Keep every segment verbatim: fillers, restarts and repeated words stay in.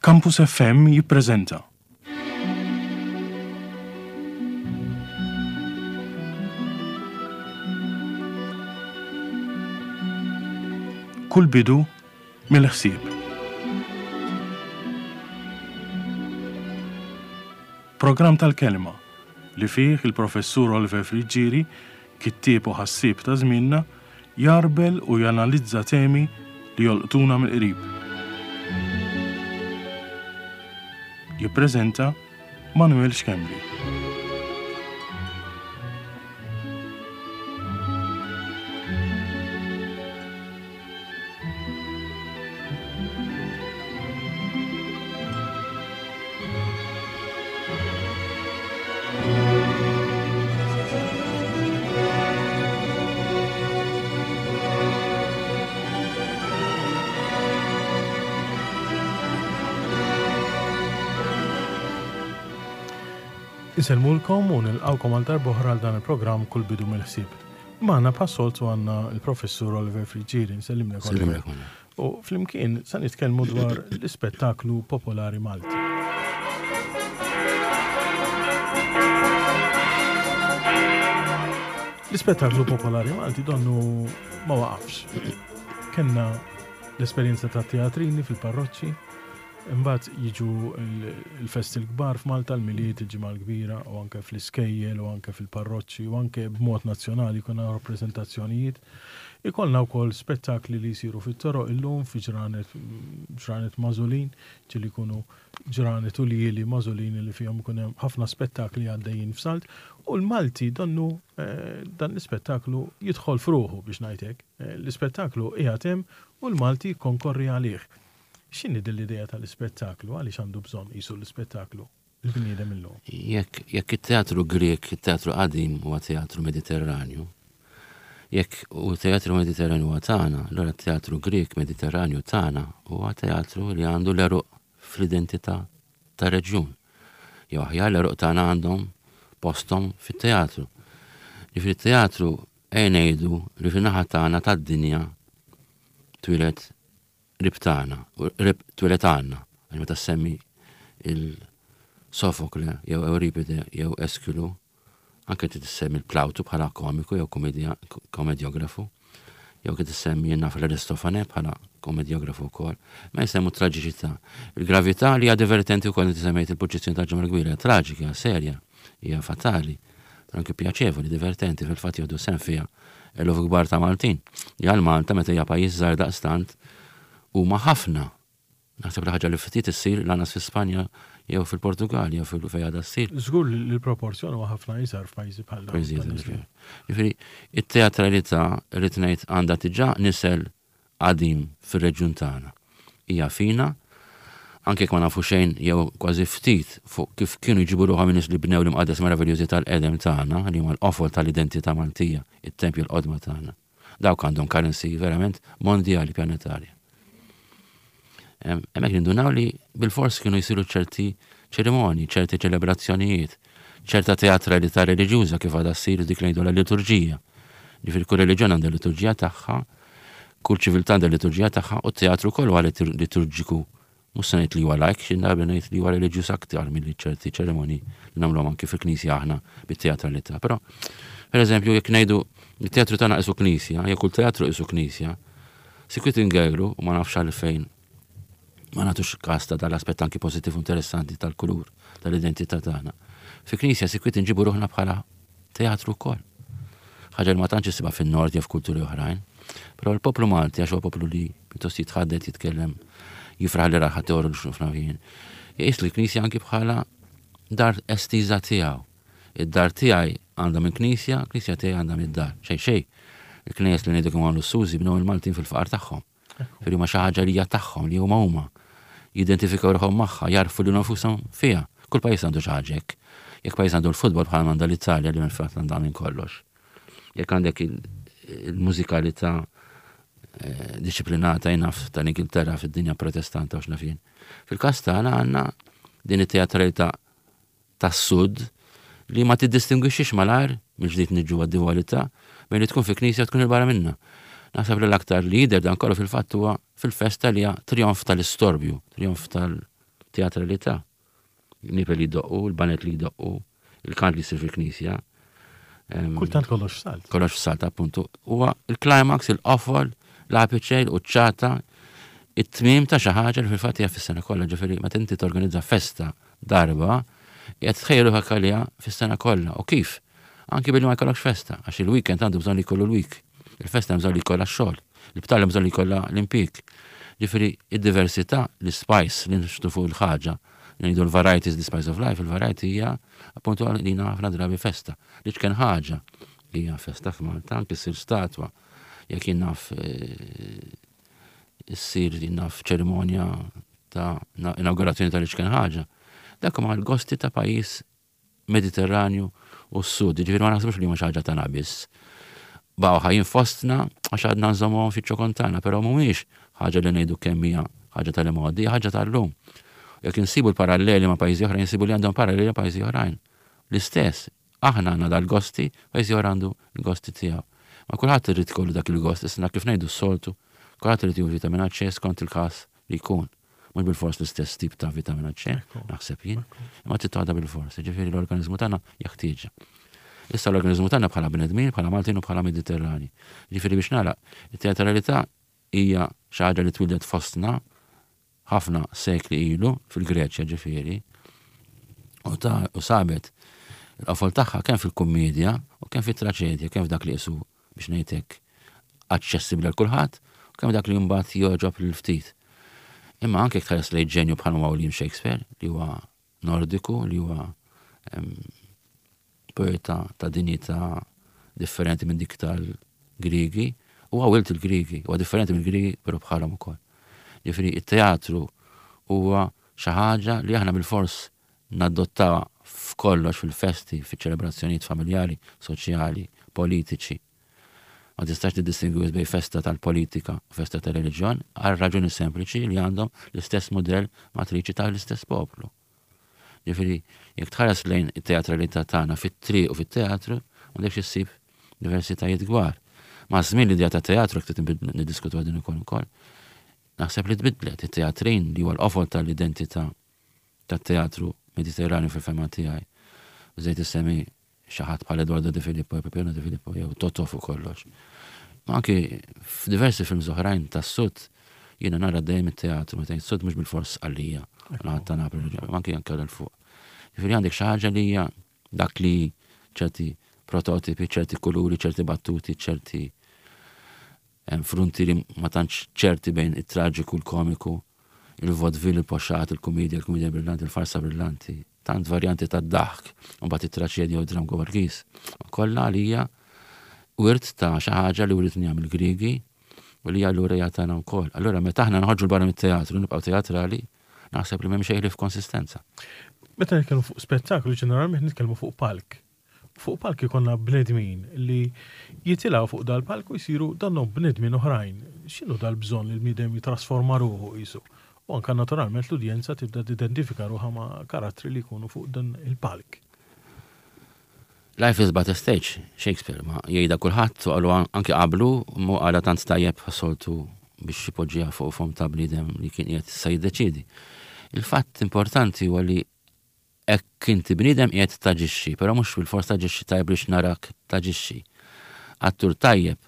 Campus F M jippreżenta Kull bidu mill-ħsieb. Programm tal-kelma li fih il-professur Oliver Friggieri, kittieb u ħassieb ta' żmienna, jarbel u janalizza temi li jolqtuna mill-qrib. Jippreżenta Manuel Schembri. Insellmulkom u nilqawkom għal darb'oħra għal dan il-programm Kull Bidu mill-Ħsieb. Magħna bħas-soltu għandna l-professur Oliver Friggieri, nsellimlek Oliver. Nsellimlek. U flimkien sa nitkellmu dwar l-ispettaklu popolari Malti. L-ispettaklu popolari Malti donnu ma waqafx. Kenna l-esperjenza ta' teatrini fil-parroċċi, imbagħad jiġu l-festi l-kbar f'Malta, l-Milied, il-Ġimgħa l-Kbira, u anke fl-iskejjel, u anke fil-parroċċi, u anke b'mod nazzjonali jkun hawn rappreżentazzjonijiet. Ikollna wkoll spettakli li jsiru fit-toroq illum fi ġranet, ġranet magħżulin, ġieli jkunu ġranet u ljieli magħżulin li fihom ikun hemm ħafna spettakli għaddejjin f'salt, u l-Malti donnu, eh, dan l-ispettaklu jidħol f'ruħu biex ngħid hekk. Eh, l-ispettaklu qiegħed hemm u l-Malti jikkonkorri għalih. X'inhi din l-idea tal-ispettaklu? Għaliex għandu bżonn qisu l-ispettaklu il-bniedem illum? Jekk, jekk it-teatru Grek, it-teatru qadim huwa teatru Mediterranju, jekk u teatru Mediterranju huwa tagħna, allura t-teatru Grek Mediterranju tagħna huwa teatru li għandu l-eruq fl-identità tar-reġjun. Jew aħjar l-eruq tagħna għandhom posthom fit-teatru. Ġifieri t-teatru ejja ngħidu li fin-naħa tagħna tad-dinja twieled qrib tagħna, u qrib twieled għandna, għax meta semmi il-Sofokle jew Euripide jew Eskilu, anke trid issemmi l-Plawtu bħala komiku jew komedja-, komedjografu, jew kif tissemmi jien naf l-Aristofane bħala komedjografu wkoll, ma jsemmu traġiċità. Il-gravità li hija divertenti wkoll inti semmejt il-purċissjoni tal-Ġimgħa l-Kbira, hija traġika, hija serja, hija fatali, però anke pjaċevoli, divertenti, fil-fatt jieħdu sehem fiha eluf kbar ta' Maltin. Li għal Malta meta hija pajjiż żgħar daqstant huma ħafna. Naħseb li ħaġa li ftit issir lanqas fi Spanja jew fil-Portugal jew fil-fejn għadha ssir. Żgur li l-proporzjon huwa ħafna iżgħar f'pajjiżi bħal dawn. Pajjiżi iżgħar. Ġifieri, it-teatralità rrid ngħid għandha diġà nisel qadim fir-reġjun tagħna. Hija fina, anke jekk ma nafu xejn jew kważi ftit fuq kif kienu jġibu ruħhom in-nies li bnew l-imqaddes meraviljużi tal-qedem tagħna, li huma l-qofol tal-identità Maltija, it-tempju l-qodma tagħna. Dawk għandhom currency verament mondjali, pjanetarja. Hemmhekk nindunaw li bil-fors kienu jsiru ċerti ċerimonji, ċerti ċelebrazzjonijiet, ċerta teatralità reliġjuża kif għadha ssir dik li ngħidu l-liturġija. Ġifieri kull reliġjon għandha l-liturġija tagħha, kull ċiviltà għandha l-liturġija tagħha, u t-teatru kollu huwa litur-, liturġiku. Mhux se ngħid li huwa lajk, xi darba ngħid li huwa reliġjuż aktar milli ċerti ċerimonji li nagħmluhom anke fil-knisja aħna bit-teatralità. Però, pereżempju, jekk ngħidu it-teatru tagħna qisu knisja, jekk kull teatru qisu knisja, sikwit ingegru u ma nafx għalfejn ma nagħtux każ ta' dal-aspett anki pożittiv u interessanti tal-kulur, tal-identità tagħna. Fi knisja sikwit inġibu ruħna bħala teatru wkoll. Ħaġa li ma tantx issibha fin-nord jew f'kulturi oħrajn. Però l-poplu Malti, għax huwa poplu li pjuttost jitħaddet, jitkellem, jifraħ li raħ teoru li xnufna fien. Jqis li knisja anki bħala dar estiża tiegħu. Id-dar tiegħi għandha minn knisja, knisja tiegħi għandha mid-dar. Xejn xejn. Il-knejjes li ngħidu kemm għamlu s-sużi bnew il-Maltin fil-faqar tagħhom. Firri huma xi ħaġa li hija tagħhom, li huma huma. Jidentifikaw ruħhom magħha, jarfu li nfushom fiha. Kull pajjiż għandu xi ħaġa hekk. Jekk pajjiż għandu l-futbol bħal għandha l-Italja li fil-fatt għandha minn kollox. Jekk għandek il-, il-mużikalità, eh, disciplinata jnaf tal-Ingilterra fid-dinja protestanta u x'naf jien. Fil-każ tagħna għandna din it-teatralità tas-sud li ma tiddistingwixxix malajr mill-ġdid niġu għad-dualità bejn li tkun fi knisja u tkun il-barra minnha. Naħseb li l-aktar li jidher dan kollu fil-fatt huwa fil-festa li hija trionf tal-istorbju, trionf tal-, Teatralità. Nipel li jdoqqu, il-baned li jdoqqu, il-kant li jsir fil-knisja. Kultant kollox salt. Kollox salt, appuntu. Huwa il-climax, il-qofol, l-apice, il-quċċata, it-tmim ta' xi ħaġa li fil-fatt hija fis-sena kollha, ġifieri meta inti torganizza festa darba, qed tħejju għaliha fis-sena kollha. U kif? Anki billi ma jkollokx festa, għax il-weekend għandu bżonn li jkollu l-week. Il-festa bżonn li jkollha x-xogħol, il-btala bżonn li jkollha l-impjieg. Ġifieri id-diversità, l-spice li nixtu fuq il-ħaġa, ngħidu l-varieties, the spice of life, il-variety hija appuntu għalina ħafna drabi festa. Li kien ħaġa hija festa f'Malta, anki ssir statwa, jekk jien naf issir jien naf ċerimonja ta' inaugurazzjoni tal-iċken ħaġa. Dak huma l-gosti ta' pajjiż Mediterranju u s-sud, ġifieri ma naħsibx li huma xi ħaġa tagħna biss. Baqgħu ħajjin fostna għax għadna nżommuhom fiċ-ċokon tagħna, però mhumiex ħaġa li ngħidu kemm hija ħaġa tal-imgħoddi, ħaġa tal-lum. Jekk insibu l-paralleli ma' pajjiżi oħrajn, insibu li għandhom paralleli ma' pajjiżi oħrajn. L-istess, aħna għandna dal-gosti, pajjiżi oħra għandu l-gosti tiegħu. Ma kulħadd irid ikollu dak il-gost, issa kif ngħidu s-soltu, kulħadd irid jieħu vitamina C skont il-każ li jkun. Mhux bil-fors l-istess tip ta' vitamina C, naħseb jien, imma trid bil-fors, ġifieri l-organizmu tagħna jeħtieġha. Issa l-organizmu tagħna bħala bnedmin, bħala Maltin u bħala Mediterrani. Ġifieri biex nagħlaq, it-teatralità hija xi ħaġa li twildet fostna ħafna sekli ilu fil-Greċja ġifieri u ta' u sabet il-qofol tagħha kemm fil-kummedja u kemm fit-traċedja, kemm f'dak li qisu biex ngħidlek aċċessibbli għal kulħadd u kemm dak li mbagħad jogħġob lil ftit. Imma anke tħares lejn ġenju bħal William Shakespeare li huwa Nordiku, li huwa poeta ta' dinjità differenti minn dik tal-Grigi, u wild il-Grigi, huwa differenti mill-Grigi però bħalhom ukoll. Ġifieri it-teatru huwa xi ħaġa li aħna bil-fors nadottaw f'kollox fil-festi, fiċ-ċelebrazzjonijiet familjari, soċjali, politiċi. Ma tistax tiddistingwi bejn festa tal-politika u festa tal-reliġjon għal raġuni sempliċi li għandhom l-istess modell matriċi tal-istess poplu. Ġifieri, jekk tħares lejn it-teatralità tagħna fit-triq u fit-teatru, m'għandekx issib diversitajiet kbar. Ma' żmien l-idea ta' teatru jekk niddiskutu din ukoll ukoll. Naħseb li tbidlet it-teatrin li huwa l-qofol tal-identità tat-teatru Mediterranju fil-fehma tiegħi. Żejt issemmi xi ħadd bħal Eduardo De Filippo, Peppino De Filippo, jew Totò fuq kollox. Ma anki f'diversi films oħrajn tas-sud jiena nara dejjem it-teatru, meta s-sud mhux bil-fors għalija, ta' Napoli, ma anki anke l fuq. Ġifieri għandek xi ħaġa li hija dak li ċerti prototipi, ċerti kuluri, ċerti battuti, ċerti frontieri ma tantx ċerti bejn it-traġiku, l-komiku, il-vaudeville, il-poxxat, il-komedja, il-komedja brillanti, il-farsa brillanti, tant varjanti ta' daħk, u mbagħad it-traċedja u dram Gorgis. Kollha għalija wirt ta' xi ħaġa li writna mill-Grigi u li allura jagħtana wkoll. Allura meta aħna noħorġu barra mit-teatru, nibqgħu teatrali, naħseb li m'hemm xejn li f'konsistenza. Meta nitkellmu fuq spettaklu ġeneralment nitkellmu fuq palk. Fuq palk ikollna bnedmin li jitilgħu fuq dal-palk u jsiru donnhom bnedmin oħrajn. X'inhu dal-bżonn li l-bniedem jitrasforma ruħu qisu? U anka naturalment l-udjenza tibda tidentifika ruħha ma' karattri li jkunu fuq dan il-palk. Life is but a stage, Shakespeare, ma jgħidha kulħadd u qalu anke qablu mu għala tant tajjeb soltu biex jipoġġiha fuq fom ta' bniedem li kien qiegħed issa jiddeċiedi. Il-fatt importanti huwa li hekk inti bniedem qiegħed taġixxi, però mhux bil-fors taġixxi tajjeb biex narak taġixxi. Attur tajjeb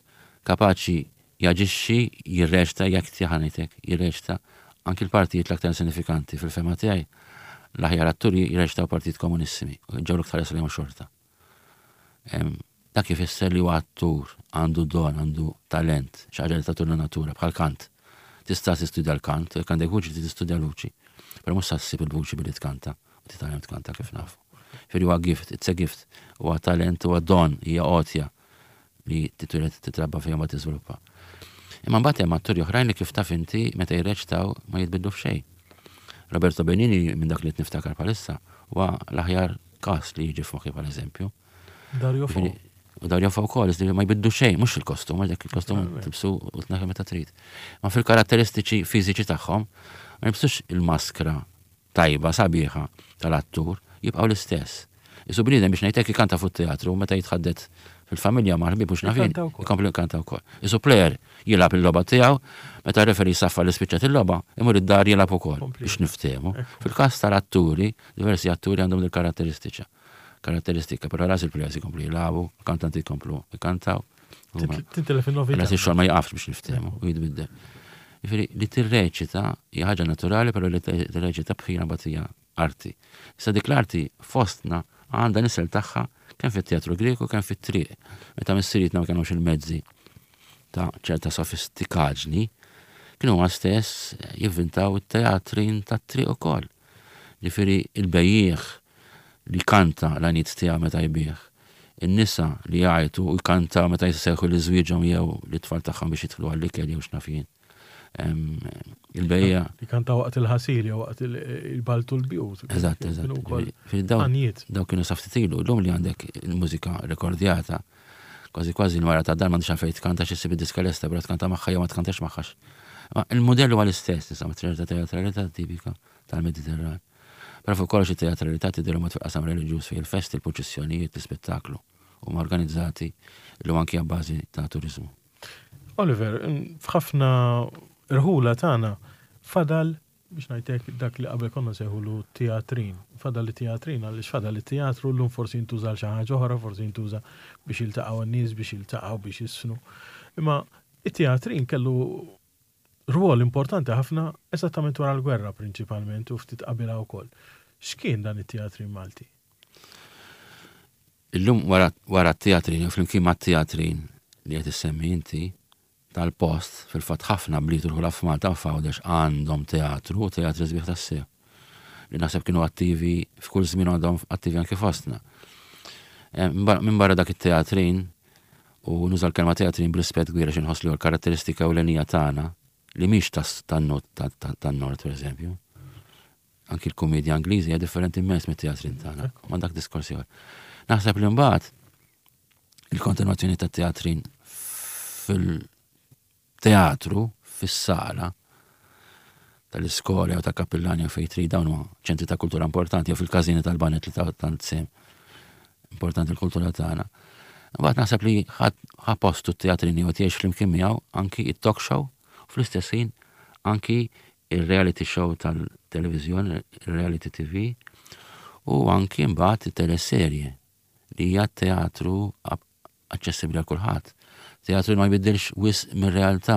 kapaċi jaġixxi, jirreċta, jekk ħanejtek, jirreċta anki l-partijiet l-aktar sinifikanti fil-fehma tiegħi. L-aħjar atturi jirreċtaw partijiet komunissimi, ġew l-iktar lejhom xorta. Dak ifisser li huwa attur, għandu don, għandu talent, xi ħaġa li tagħtu natura bħal kant. Tista' tistudja l-kant, jekk għandek vuċi tistudja l-vuċi. Però mhux ssib il-vuċi billi tkanta, u titgħallem tkanta kif nafu. Ġifieri huwa gift, it's a gift, huwa talent, huwa don, hija għotja li titwieled titrabba fejn ma tiżviluppa. Imma mbagħad hemm atturi oħrajn li kif taf inti meta jirreċtaw ma jitbidlu f'xejn. Roberto Benigni minn dak li niftakar bħalissa huwa l-aħjar każ li jiġi f'moħħi bħal eżempju. Dario Fo. U Dario Fo wkoll, ma jbiddu xejn, mhux il-kostum, għax dak il-kostum tilbsu u tneħħi meta trid. Ma fil-karatteristiċi fiżiċi tagħhom ma jilbsux il-maskra tajba, sabiħa tal-attur, jibqgħu l-istess. Isu bniedem biex ngħidlek ikanta fuq teatru meta jitħaddet fil-familja ma' ħbieb mhux nafin, ikompli jkanta wkoll. Isu player jilgħab il-logħba tiegħu, meta referee saffa li spiċċat il-logħba, imur id-dar jilgħab ukoll biex niftehmu. Fil-każ tal-atturi, diversi atturi għandhom il-karatteristiċa. Karatteristika, però ras il-players ikomplu jilagħbu, kantanti jkomplu jkantaw. Tintilef in-novità. Ras ix-xogħol ma jaqafx biex niftehmu u jitbiddel. Jiġifieri li tirreċita hija ħaġa naturali, però li tirreċita bħina batija arti. Issa dik l-arti fostna għandha nisel tagħha kemm fit-teatru Greku kemm fit-triq. Meta missirietna ma kellhomx il-mezzi ta' ċerta sofistikaġni, kienu huma stess jivvintaw it-teatrin tat-triq ukoll. Ġifieri il-bejjiegħ li kanta l-għaniet tiegħu meta jbigħ, in-nisa li jgħajtu u jkantaw meta jsejħu li żwieġhom jew l-tfal tagħhom biex jidħlu għall-ikel jew x'naf jien. Il-bejja. Li kanta waqt il-ħasil jew waqt il-baltu l-bjut. Eżatt, eżatt. Daw kienu sa ftit ilu, l-lum li għandek il-mużika rekordjata, kważi kważi l-mara ta' dar m'għandix għalfejn tkanta xi ssib id-diska lesta, però tkanta magħha jew ma tkantax magħha. Ma il-modell huwa l-istess, insomma, ċerta teatralità tipika tal-Mediterran. Però fuq kollox it-teatralità tidher mod fil-qasam reliġjuż fejn il-festi, il-purċissjonijiet, l-ispettaklu huma organizzati llum anki bażi ta' turiżmu. Oliver, f'ħafna rħula tagħna fadal biex ngħidlek dak li qabel konna sejħulu teatrin. Fadal li teatrin għaliex fadal li teatru llum forsi jintuża għal xi ħaġa oħra, forsi jintuża biex jiltaqgħu n-nies, biex jiltaqgħu biex jisfnu. Imma it-teatrin kellu rwol importanti ħafna eżattament wara l-gwerra prinċipalment u ftit qabilha wkoll. X'kien dan it-teatrin Malti? Illum wara t-teatrin, flimkien mat-teatrin li qed issemmi inti, tal-post, fil-fatt ħafna bliet u rħula f'Malta u f'Għawdex għandhom teatru u teatri sbieħ tassew. Li naħseb kienu attivi f'kull żmien għandhom attivi anke fostna. Minn barra dak it-teatrin, u nuża l-kelma teatrin b'rispett kbir għax inħoss li huwa l-karatteristika ewlenija tagħna li mhix tan-nord pereżempju. Anki l-kumedja Ingliżi hija differenti immens mit-teatrin tagħna, ma dak diskors ieħor. Naħseb li mbagħad il-kontinuazzjoni tat-teatrin fil- teatru fis-sala tal-iskola jew ta' kappillani jew fejn trid, dawn huma ċentri ta' kultura importanti jew fil-każini tal-banet li ta' tant sem importanti l-kultura tagħna. Mbagħad naħseb li ħa postu t-teatrini u tgħix flimkien miegħu anki it-talk show u fl-istess ħin anki il-reality show tal-televiżjoni, il-reality T V u anki mbagħad it-teleserje li hija teatru aċċessibbli għal kulħadd. Teatru ma jbiddilx wisq mir-realtà,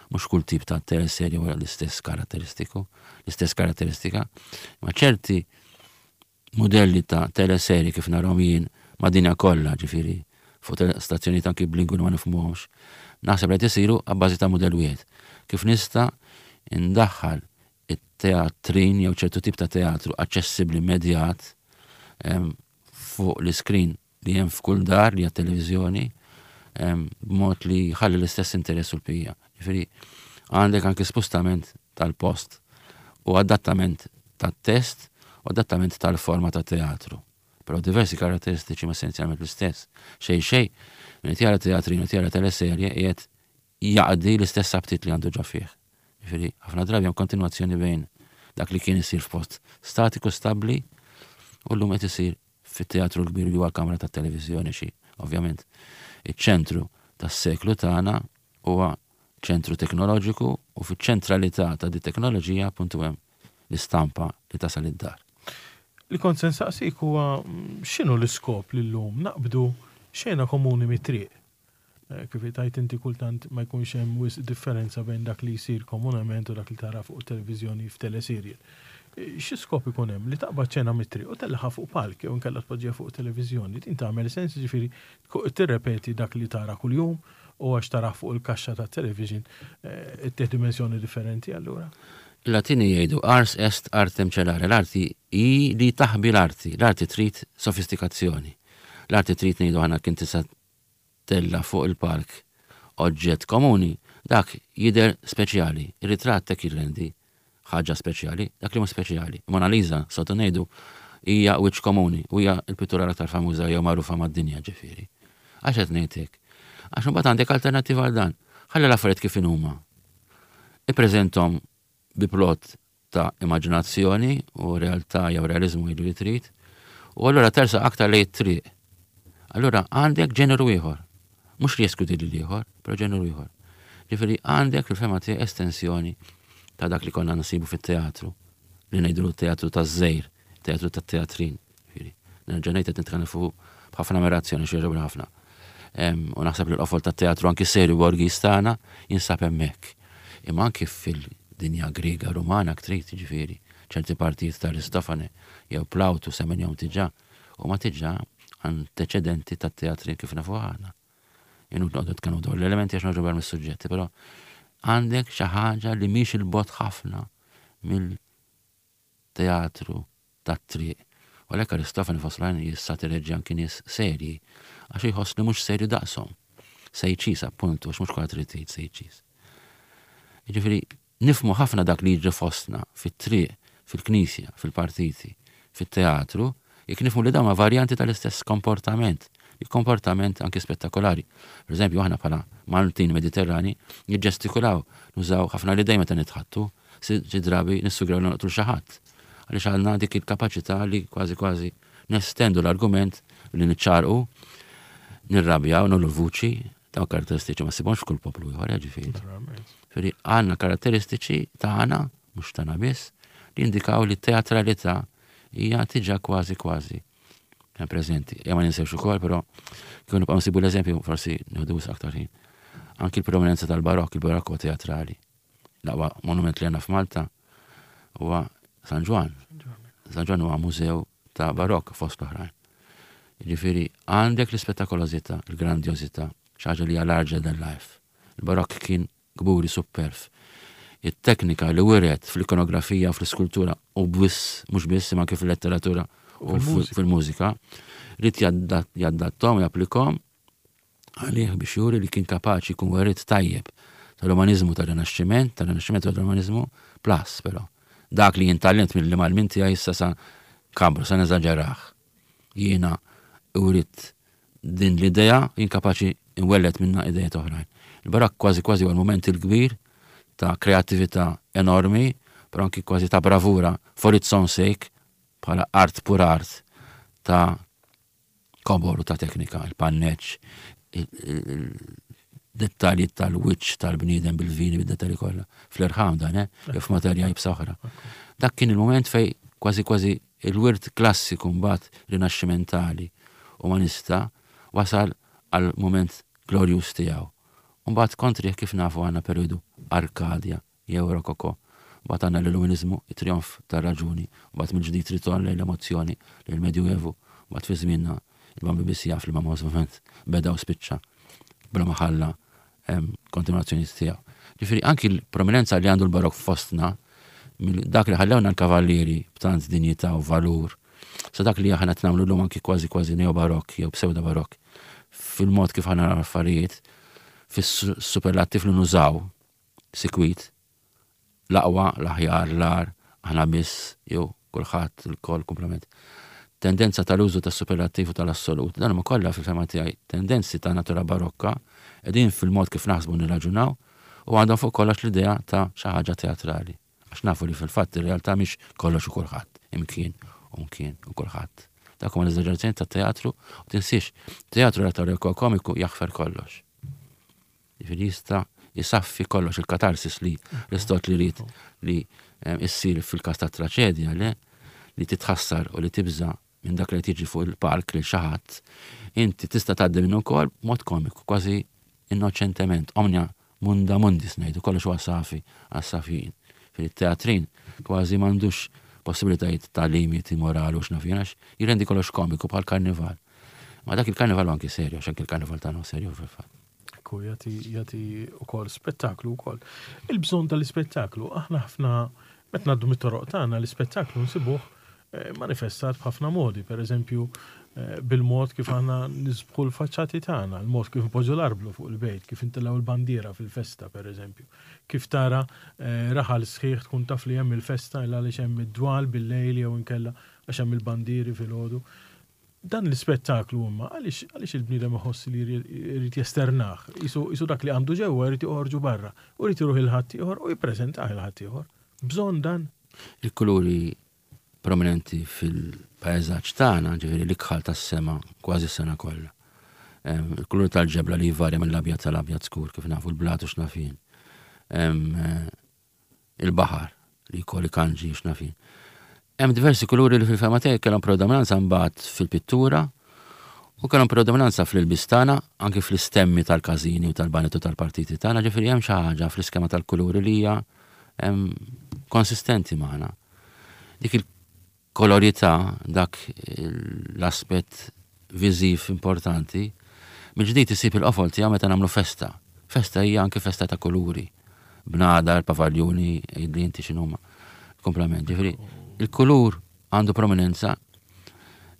mhux kull tip ta' teleserje wara l-istess karatteristiku, l-istess karatteristika, ma ċerti modelli ta' teleserje kif narahom jien ma' dinja kollha, ġifieri fuq stazzjonijiet anki b'lingwi ma nifhmuhomx, naħseb li qed isiru abbażi ta' mudell wieħed. Kif nista' indaħħal it-teatrin jew ċertu tip ta' teatru aċċessibbli immedjat fuq l-iskrin li hemm f'kull dar li hija televiżjoni, b'mod li jħalli l-istess interess u l-pija. Ġifieri għandek anke spostament tal-post u adattament tat-test u adattament tal-forma ta' teatru. Però diversi karatteristiċi ma essenzjalment l-istess. Xej xej, minn qed jara teatrin u jara teleserje qiegħed jaqdi l-istess aptit li għandu ġo fih. Ġifieri ħafna drabi hemm kontinwazzjoni bejn dak li kien isir f'post statiku stabbli u llum qed isir fit-teatru l-kbir li huwa l-kamra tat-televiżjoni xi, ovvjament. Iċ-ċentru tas-seklu tagħna huwa ċentru teknoloġiku u fiċ-ċentralità ta' di teknoloġija appuntu hemm l-istampa li tasal id-dar. Li kont se nsaqsik huwa x'inhu l-iskop li llum naqbdu xena komuni mit-triq. Kif tajt inti kultant ma jkunx hemm wisq differenza bejn dak li jsir komunament u dak li tara fuq televiżjoni f'teleserial. Xi skop ikun hemm li taqbad xena mit-triq u tellaħa fuq palk jew inkella tpoġġiha fuq televiżjoni? Din tagħmel sens, ġifieri tirrepeti dak li tara kuljum u għax tara fuq il-kaxxa tat-television ittieħ dimensjoni differenti allura. Il-Latini jgħidu ars est artem celare, l-arti hi li taħbi l-arti, l-arti trid sofistikazzjoni. L-arti trid ngħidu aħna kien tista' tella fuq il-park oġġett komuni, dak jidher speċjali, ir-ritratt hekk jirrendi ħaġa speċjali, dak li mhux speċjali. Mona Lisa, sotu ngħidu, hija wiċċ komuni u hija l-pittura l-aktar famuża jew magħrufa mad-dinja ġifieri. Għax qed ngħid hekk? Għax imbagħad għandek alternattiva għal dan. Ħalli l-affarijiet kif inhuma. Ippreżenthom bi plot ta' immaġinazzjoni u realtà jew realizmu jgħidu li trid U allura tersa aktar lejn it-triq. Allura għandek ġeneru ieħor. Mhux li jeskludi lil ieħor, però ġeneru ieħor. Ġifieri għandek fil-fehma tiegħi estensjoni ta' dak li konna nsibu fit-teatru, li ngħidu teatru taż-żejr, teatru tat-teatrin. Ġifieri, nerġa' ngħid, qed nitkellem fuq b'ħafna ammirazzjoni, xi ħafna. U naħseb li l-qofol tat-teatru anki serju borghis tagħna jinsab hemmhekk. Imma anki fil-dinja Griega, Rumana, trid, ġifieri, ċerti partijiet ta' Aristofane jew Plawtu semmejnihom diġà, u ma diġà anteċedenti tat-teatri kif nafu aħna. Inutli noqogħdu nitkellmu dwar l-elementi għax noħorġu mis-suġġetti, però għandek xi ħaġa li mhix 'il bogħod ħafna mill-teatru tat-triq. U għalhekk Aristofane fost l-oħrajn jissatireġġi anki nies serji, għax jħoss li mhux serju daqshom. Sejċis appuntu, għax mhux kollha trid tgħid sejċis. Jiġifieri nifhmu ħafna dak li jiġri fostna fit-triq, fil-knisja, fil-partiti, fit-teatru, jekk nifhmu li dawn varjanti tal-istess komportament, il-komportament anki spettakolari. Per eżempju, aħna bħala Maltin Mediterrani niġġestikulaw, nużaw ħafna li dejjem meta nitħattu, xi drabi nissugraw noqtlu xi ħadd. Għaliex għandna dik il-kapaċità li kważi kważi nestendu l-argument li niċċarqu, nirrabjaw, nogħllu l-vuċi, dawn karatteristiċi ma ssibhomx f'kull poplu ieħor, ġifieri. Ġifieri għandna karatteristiċi tagħna, mhux tagħna biss, li jindikaw li t-teatralità hija diġà kważi kważi preżenti. Ja ma ninsewx ukoll, però kieku nibqgħu nsibu l-eżempju forsi nieħdu aktar ħin. Anki l-prominenza tal-barokk, il-barokk huwa teatrali. L-aqwa monument li għandna f'Malta huwa San Ġwann. San Ġwann huwa mużew ta' barokk fost l-oħrajn. Jiġifieri għandek l-ispettakolożità, il-grandjożità, xi ħaġa li hija larger than life. Il-barokk kien kburi superf. Il-teknika li wiret fl-ikonografija u fl-iskultura u biss, mhux biss, imma kif fil-letteratura u fil-mużika, ried jaddattom, japplikom għalih biex juri li kien kapaċi jkun werriet tajjeb tal-umanizmu tal-Rinaxximent, tal-Rinaxximent tal-umanizmu, plus, però. Dak li jien tgħallimt mill-imgħallmin tiegħi issa sa kabru, sa neżaġerah. Jiena urid din l-idea, jien kapaċi nwellet minna idejiet oħrajn. Il-barokk kważi kważi huwa l-moment il-kbir ta' kreatività enormi, però anki kważi ta' bravura for its own sake, bħala art pur art ta' kobor u ta' teknika, il-panneċ, il-dettalji tal-wiċċ tal-bniedem bil-vini, bil-dettalji kollha. Fl-irħam dan, eh? Jew f'materja iebsa oħra. Dak kien il-moment fej kważi kważi il-wirt klassiku mbagħad rinaxximentali umanista wasal għal moment glorjus tiegħu. Mbagħad kontrih kif nafu għandna periodu Arkadja jew Rokoko. Mbagħad għandna l-Illuminizmu, it-trionf tar-raġuni, mbagħad mill-ġdid ritorn lejn l-emozzjoni, lejn il-Medjuevu, mbagħad fi żmienna il-Bambi biss jaf li ma moment beda u spiċċa bla ma ħalla kontinuazzjoni tiegħu. Ġifieri anki l-prominenza li għandu l-barok fostna, dak li ħallewna l-kavallieri b'tant dinjità u valur, sa dak li aħna nagħmlu llum anki kważi kważi neo-barok jew pseudo-barok, fil-mod kif aħna affarijiet, fis-superlattiv li nużaw, sikwit, l-aqwa, l-aħjar, l-agħar, aħna biss, jew kulħadd, il-koll, komplement. Tendenza tal-użu tas-superlattiv u tal-assolut, dan huma kollha fil-fehma tiegħi tendenzi ta' natura barokka, qegħdin fil-mod kif naħsbu nirraġunaw, u għandhom fuq kollox l-idea ta' xi ħaġa teatrali. Għax nafu li fil-fatt ir-realtà mhix kollox u kulħadd, imkien u mkien u kulħadd. Dak huma l-eżaġerazzjoni tat-teatru, u tinsiex, teatru retoriku komiku jaħfer kollox. Jiġifieri jista' jisaffi kollox, il-katarsis li Aristotli ried li issir fil-każ ta' traċedja, le li titħassar u li tibża minn dak li tiġi fuq il-palk li xi ħadd, inti tista' tgħaddi minnu wkoll b'mod komiku, kważi innoċentement, omnia munda mundis ngħidu, kollox huwa safi għas-safin. Fil-teatrin kważi m'għandux possibilitajiet ta' limiti morali u x'naf jien, għax jirrendi kollox komiku bħal karnival. Ma dak il-karnival anki serju, għax anki il-karnival tagħna serju fil-fatt. Ekku, jagħti, jagħti ukoll spettaklu wkoll. Il-bżonn tal-ispettaklu, aħna ħafna meta ngħaddu mit-toroq tagħna l-ispettaklu nsibuh eh, manifestat b'ħafna modi, per eżempju eh, bil-mod kif aħna nisbħu l-faċċati tagħna, il-mod kif npoġġu l-arblu fuq il-bejt, kif intellgħu l-bandiera fil-festa, per eżempju. Kif tara eh, raħal sħiħ tkun taf li hemm il-festa illa għaliex hemm id-dwal bil-lejl jew inkella għax hemm il-bandieri fil-ħodu. Dan l-ispettaklu imma għaliex għaliex il-bniedem iħoss li jrid jesternah, jisu dak li għandu ġewwa jrid joħorġu barra, u jrid iruħ il-ħadd ieħor u jippreżentah il-ħadd ieħor. Bżonn dan. Il-kuluri prominenti fil-pajzaġġ tagħna, ġifieri l-ikħal tas-sema kważi s-sena kollha. Il-kulur tal-ġebla li jvarja mill-abjad tal-abjad skur, kif nafu l-blatu x'nafin. Il-baħar li jkolli kanġi x'nafin. Hemm diversi kuluri li fil-fema tiegħi kellhom predominanza mbagħad fil-pittura u kellhom predominanza fl-ilbies tagħna, anke fl-istemmi tal-każini u tal-banet u tal-partiti tagħna, ġifieri hemm xi ħaġa fl-iskema tal-kuluri li hija konsistenti magħna. Dik il-kolorità, dak l-aspett viżiv importanti, mill-ġdid isib il-qofol tiegħu meta nagħmlu festa. Festa hija anke festa ta' kuluri. Bnadar, pavaljuni, li inti x'inhuma. Komplement. Ġifieri, il-kulur għandu prominenza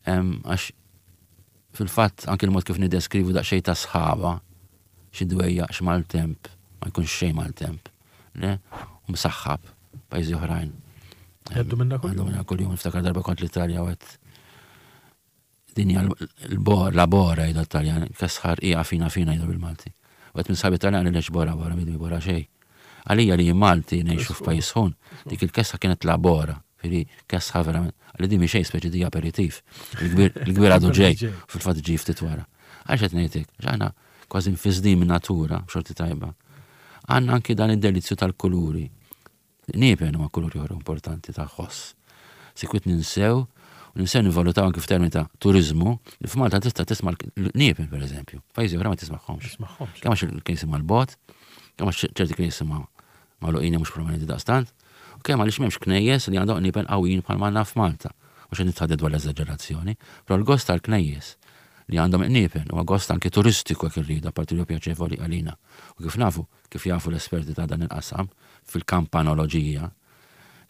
għax fil-fatt anke l-mod kif nideskrivu daqsxejn ta' sħaba, xi dwejjaq x'maltemp, ma jkunx xejn maltemp, le? U msaħħab pajjiżi oħrajn. Għaddu minna kuljum. Għaddu minna kuljum, niftakar darba kont l-Italja u għedt dinja l-bor, la bora jgħidu Taljan, kesħar hija fina fina jgħidu bil-Malti. U għedt minn sħabi Taljan li lex bora bora, bidwi bora xejn. Għalija li Malti ngħixu f'pajjiż sħun, dik il-kesħa kienet la bora, fili kesħa verament. Għalli di mi xejn speċi di aperitif. Il-kbir għadu ġej, fil-fatt ġej ftit wara. Għaliex qed ngħidlek, għax kważi nfisdin minn natura, b'xorti tajba. Għandna anki dan id-delizzju tal-kuluri. Niepen huma kuluri oħra importanti ta' ħoss. Sikwit ninsew, u ninsew nivalutaw anki f'termini ta' turizmu, li f'Malta tista' tisma' l-niepen per eżempju. Pajjiżi oħra ma tismagħhomx. Tismagħhomx. Kemm għax il-knisja mal-bogħod, kemm għax ċerti knisja ma magħluqin mhux prominenti daqstant, u kemm għaliex m'hemmx knejjes li għandhom niepen qawwijin bħal ma għandna f'Malta. Mhux qed nitħadded dwar l-eżaġerazzjoni, però l-gost tal-knejjes li għandhom niepen huwa gost anke turistiku jekk irridu, apparti li huwa pjaċevoli għalina. U kif nafu, kif jafu l-esperti ta' dan il-qasam fil-kampanoloġija,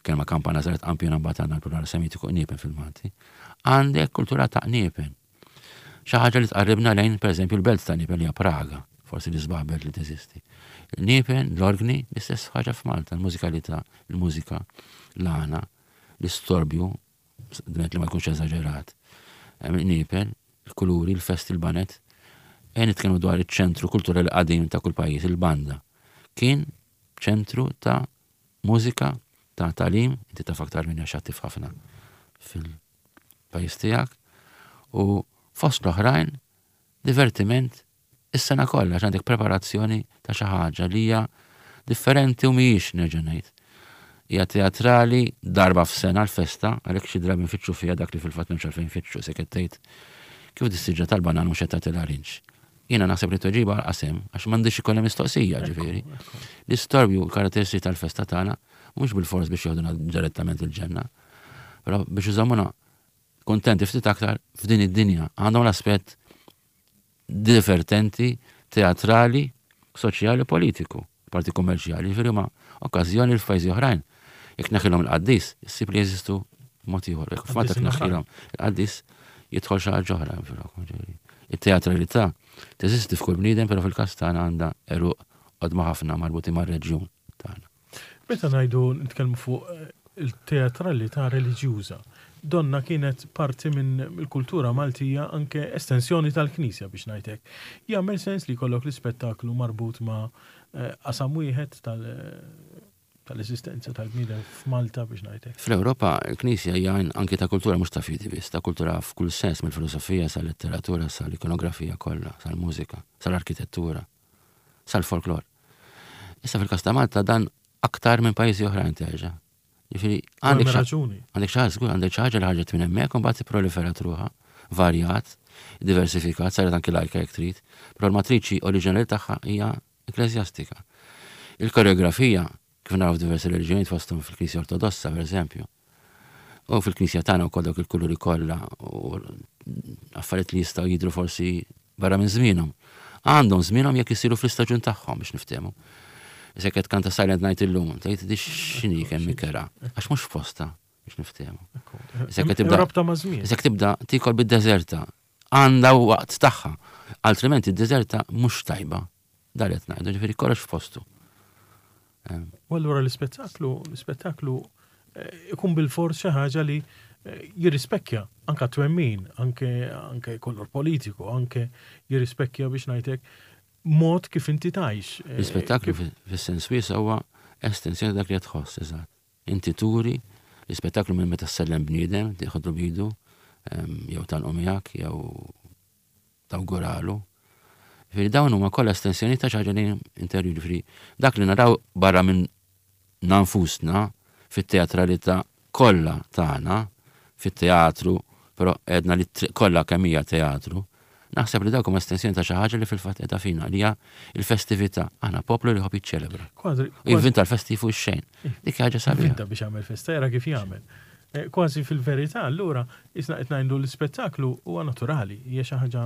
kelma kampana saret kampjuna mbagħad għandna l-plural semitiku niepen fil-Malti, għandek kultura ta' niepen. Xi ħaġa li tqarribna lejn pereżempju l-belt ta' niepen li hija Praga, forsi l-isbaħ belt li teżisti. Niepen, l-organi, l-istess ħaġa f'Malta, l-mużikalità, il-mużika, l-għana, l-istorbju, dment li ma jkunx eżaġerat. Niepen, il-kuluri, il-festi, il-banet, e nitkellmu dwar iċ-ċentru kulturali qadim ta' kull pajjiż, il-banda. Kien ċentru ta' mużika, ta' talim, inti taf aktar minni għax attiv ħafna fil-pajjiż tiegħek, u fost l-oħrajn divertiment is-sena kollha, għax għandek preparazzjoni ta' xi ħaġa li hija differenti u mhijiex nerġa' ngħid. Hija teatrali darba f'sena l-festa, għalhekk xi drabi nfittxu fiha dak li fil-fatt m'hemmx għalfejn nfittxu, se qed tgħid kif dissiġġa tal-banan mhux qed tagħti l-arinġ. Jiena naħseb li tweġiba qasem għax m'għandix ikollha mistoqsija, ġifieri. L-istorbju l-karatteristiċi tal-festa tagħna mhux bil-fors biex joħduna direttament il-ġenna, però biex iżommuna kontenti ftit aktar f'din id-dinja. Għandhom l-aspett divertenti, teatrali, soċjali, politiku, parti kummerċjali, ġifieri huma okkażjoni l f'pajjiżi oħrajn. Jekk naħilhom il-qaddis, issib li jeżistu mod ieħor. Jekk f'Malta Qaddis naħilhom il-qaddis jidħol xi ħaġa oħra ġifieri. Il-teatralità teżisti f'kull bniedem, però fil-każ tagħna għandha għeruq qodma ħafna marbuti mar-reġjun tagħna. Meta ngħidu nitkellmu fuq il-teatralità reliġjuża, donna kienet parti minn il-kultura Maltija anke estensjoni tal-Knisja biex ngħidlek. Jagħmel sens li jkollok l-ispettaklu marbut ma' qasam wieħed tal-eżistenza tal-bniedem f'Malta biex ngħidlek. Fl-Ewropa l-Knisja hija anke ta' kultura mhux ta' fidi biss, ta' kultura f'kull sens, mill-filosofija sal-letteratura, sal-ikonografija kollha, sal-mużika, sal-arkitettura, sal-folklor. Issa fil-każ ta' Malta dan aktar minn pajjiżi oħrajn terġa'. Ġifieri għandek Hemm xi raġuni. għandek xi ħaġa, żgur, għandek xi ħaġa li ħarġet minn hemmhekk u mbagħad ipproliferat ruħha, varjat, diversifikat, saret anki lajka jekk trid, però l-matriċi oriġinali tagħha hija ekkleżjastika. Il-koreografija, kif naraw f'diversi reliġjonijiet fosthom fil-Knisja Ortodossa, per eżempju, u fil-Knisja tagħna wkoll dawk il-kuluri kollha u affarijiet li jistgħu jidhru forsi barra minn żmienhom. Għandhom żmienhom jekk isiru fl-istaġun tagħhom biex niftehmu. Issa qed kanta Silent Night illum, tgħid di x'inhi kemm ikera, għax mhux f'posta biex niftehmu. Issa qed tibda Rabta ma' żmien. Issa tibda tikol bid-deżerta, għandha waqt tagħha, altrimenti d-deżerta mhux tajba. Dan qed ngħidu, ġifieri kollox f'postu. U allura l-ispettaklu, l-ispettaklu ikun bil-fors xi ħaġa li jirrispekkja anke twemmin, anke, anke kolor politiku, anke jirrispekkja biex ngħidlek mod kif inti tgħix. L-ispettaklu fis-sens wiesa' huwa estensjoni dak li qed tħoss, eżatt. Inti turi L-ispettaklu minn meta ssellem bniedem, tieħodlu b'idu, jew tgħannqu miegħek, jew tawguralu. Ġifieri dawn huma kollha estensjoni ta' xi ħaġa li interjuri. Ġifieri dak li naraw barra minn nfusna fit-teatralità kollha tagħna, fit-teatru, però għedna li kollha kemm hija teatru, naħseb li dawk huma estensjoni ta' xi ħaġa li fil-fatt qiegħda fina, li hija l-festività. Aħna poplu li jħobb jiċċelebra. Jivvinta l-festi fuq ix-xejn. Dik ħaġa sabiħa. Jivvinta biex jagħmel festa, jara kif jagħmel. Eh, kważi fil-verità, allura, isna qed ngħidu l-ispettaklu huwa naturali, hija xi ħaġa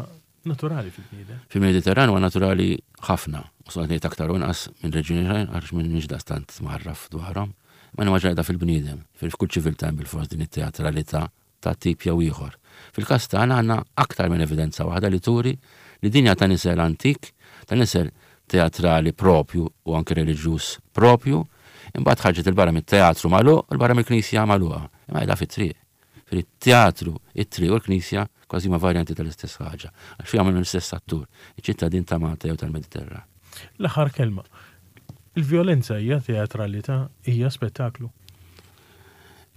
naturali fil-bniedem. Fil-Mediterran huwa naturali ħafna, u so ngħid aktar u inqas minn reġjuni oħrajn għax m'iniex daqstant mgħarraf dwarhom. Ma nimmaġina qiegħda fil-bniedem, fil-kull ċiviltà hemm bilfors din it-teatralità ta' tip jew ieħor. Fil-każ tagħna għandna aktar minn evidenza waħda li turi li din hija ta' nisel antik, ta' nisel teatrali propju u anke reliġjuż propju, imbagħad ħarġet 'il barra mit-teatru magħluq u 'l barra mill-knisja magħluqa. Imma qiegħda fit-triq. Fil-teatru, it-triq u l-knisja kważi ma varjanti tal-istess ħaġa. Għax fiha għamlu l-istess attur, iċ-ċittadin ta' Malta jew tal-Mediterran. L-aħħar kelma. Il-vjolenza hija teatralità, hija spettaklu.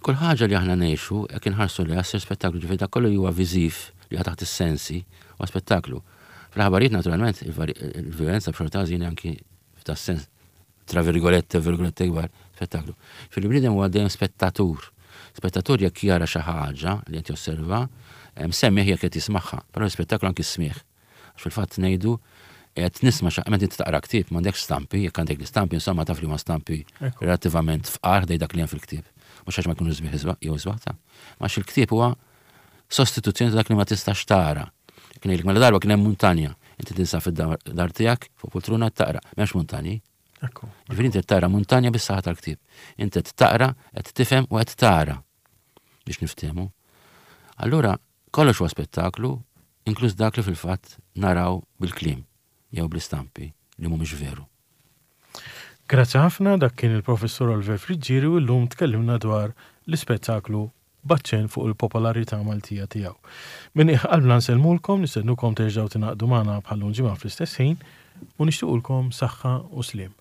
Kull ħaġa li aħna ngħixu jekk inħarsu li ssir spettaklu, ġifieri dak kollu li huwa viżiv li huwa taħt is-sensi huwa spettaklu. Fl-aħbarijiet naturalment il-vjolenza b'xorta ħażina anki f'da sens tra virgolette, virgolette kbar, spettaklu. Fil-bniedem huwa dejjem spettatur. Spettatur jekk jara xi ħaġa li qed josserva, semmieh jekk qed jismagħha, però l-spettaklu anki smigħ. Għax fil-fatt ngħidu qed nisma' xi meta inti taqra ktieb m'għandekx stampi, jekk għandek l-istampi insomma taf li huma stampi relattivament fqar ħdej dak li hemm fil-ktieb. Mhux għax ma jkunu sbieħ jew sbaħ ta'. Ma il-ktieb huwa sostituzzjoni ta' dak li ma tistax tara. Kien ngħidlek mela darba kien hemm muntanja, inti tinsab fid-dar tiegħek fuq poltruna taqra, m'hemmx muntanji. Ġifieri inti tara muntanja bis-saħħa tal-ktieb. Inti qed taqra, qed tifhem u qed tara biex niftehmu. Allura kollox huwa spettaklu, inkluż dak li fil-fatt naraw bil-kliem jew bl-istampi li mhumiex veru. Grazzi ħafna, dak kien il-Professur Oliver Friggieri u llum tkellimna dwar l-ispettaklu b'aċċenn fuq il-popolarità Maltija tiegħu. Minn qalbna nsellmulkom, nistednukom terġgħu tingħaqdu magħna bħal ġimgħa fl-istess ħin u nixtiequlkom saħħa u sliem.